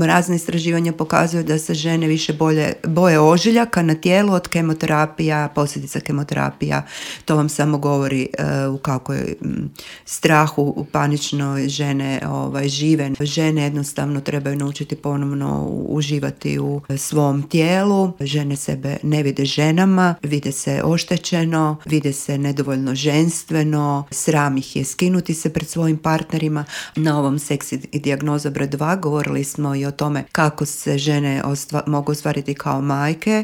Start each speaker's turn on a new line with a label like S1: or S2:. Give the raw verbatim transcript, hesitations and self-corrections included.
S1: Razne istraživanja pokazuju da se žene više bolje, boje ožiljaka na tijelu od kemoterapija, posljedica kemoterapija. To vam samo govori uh, u kakvoj um, strahu u paničnoj žene ovaj, žive. Žene jednostavno trebaju naučiti ponovno uživati u svom tijelu. Žene sebe ne vide ženama, vide se oštećeno, vide se nedovoljno ženstveno, sram ih je skinuti se pred svojim partnerima. Na ovom Seksi i dijagnoza broj dva govorili smo i o tome kako se žene ostva- mogu ostvariti kao majke